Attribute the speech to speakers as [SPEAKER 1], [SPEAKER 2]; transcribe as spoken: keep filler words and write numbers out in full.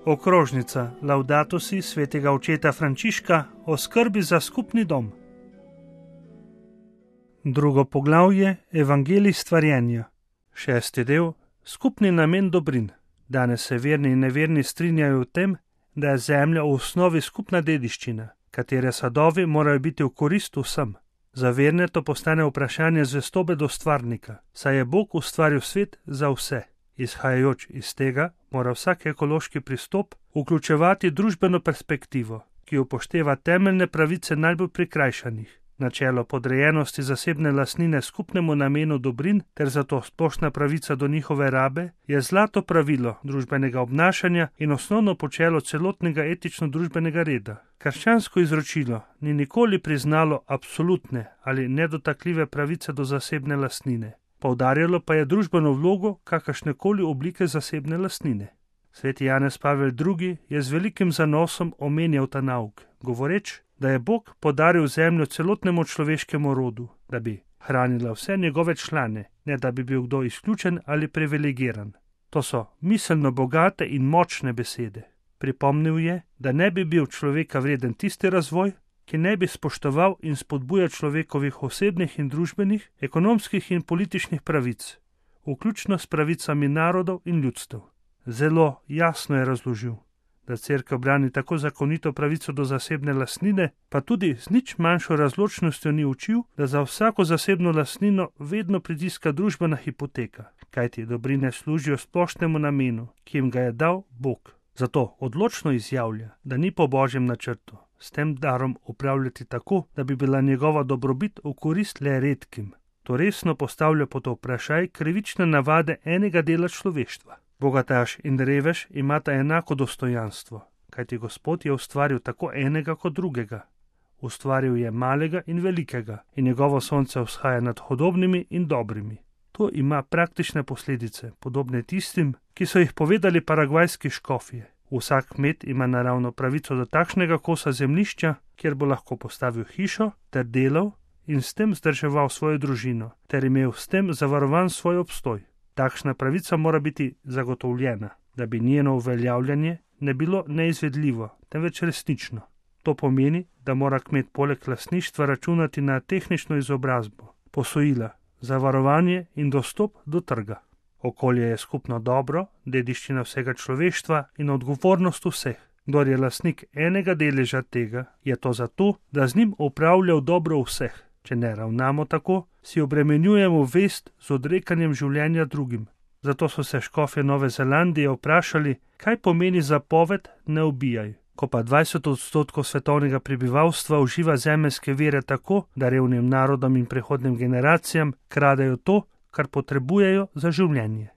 [SPEAKER 1] Okrožnica Laudato si svetega očeta Frančiška o skrbi za skupni dom. Drugo poglavje Evangelij stvarjenja. Šesti del Skupni namen dobrin. Danes se verni in neverni strinjajo v tem, da je zemlja v osnovi skupna dediščina, katere sadovi morajo biti v korist vsem. Za verne to postane vprašanje zvestobe do stvarnika, saj je Bog ustvaril svet za vse. Izhajajoč iz tega mora vsak ekološki pristop vključevati družbeno perspektivo, ki upošteva temeljne pravice najbolj prikrajšanih, načelo podrejenosti zasebne lastnine skupnemu namenu dobrin ter zato splošna pravica do njihove rabe je zlato pravilo družbenega obnašanja in osnovno počelo celotnega etično-družbenega reda. Krščansko izročilo ni nikoli priznalo absolutne ali nedotakljive pravice do zasebne lastnine. Poudarjalo pa je družbeno vlogo kakršnekoli oblike zasebne lastnine. Sveti Janez Pavel drugi je z velikim zanosom omenjal ta nauk, govoreč, da je Bog podaril zemljo celotnemu človeškemu rodu, da bi hranila vse njegove člane, ne da bi bil kdo izključen ali privilegiran. To so miselno bogate in močne besede. Pripomnil je, da ne bi bil človeka vreden tisti razvoj, ki ne bi spoštoval in spodbujal človekovih osebnih in družbenih, ekonomskih in političnih pravic, vključno s pravicami narodov in ljudstev. Zelo jasno je razložil, da Cerkev brani tako zakonito pravico do zasebne lastnine, pa tudi z nič manjšo razločnostjo ni učil, da za vsako zasebno lastnino vedno pritiska družbena hipoteka, kajti dobrine služijo splošnemu namenu, ki jim ga je dal Bog. Zato odločno izjavlja, da ni po Božjem načrtu s tem darom upravljati tako, da bi bila njegova dobrobit v korist le redkim. To resno postavlja pod vprašaj krivične navade enega dela človeštva. Bogataš in revež imata enako dostojanstvo, kajti Gospod je ustvaril tako enega kot drugega. Ustvaril je malega in velikega in njegovo sonce vzhaja nad hudobnimi in dobrimi. To ima praktične posledice, podobne tistim, ki so jih povedali paragvajski škofje. Vsak kmet ima naravno pravico do takšnega kosa zemljišča, kjer bo lahko postavil hišo ter delal in s tem zdrževal svojo družino, ter imel s tem zavarovan svoj obstoj. Takšna pravica mora biti zagotovljena, da bi njeno uveljavljanje ne bilo neizvedljivo, temveč resnično. To pomeni, da mora kmet poleg lastništva računati na tehnično izobrazbo, posojila, zavarovanje in dostop do trga. Okolje je skupno dobro, dediščina vsega človeštva in odgovornost vseh. Kdor je lastnik enega deleža tega, je to zato, da z njim upravlja v dobro vseh. Če ne ravnamo tako, si obremenjujemo vest z odrekanjem življenja drugim. Zato so se škofje Nove Zelandije vprašali, kaj pomeni zapoved ne ubijaj. Ko pa dvajset odstotkov svetovnega prebivalstva uživa zemeljske vire tako, da revnim narodom in prehodnim generacijam kradejo to, kar potrebujejo za življenje.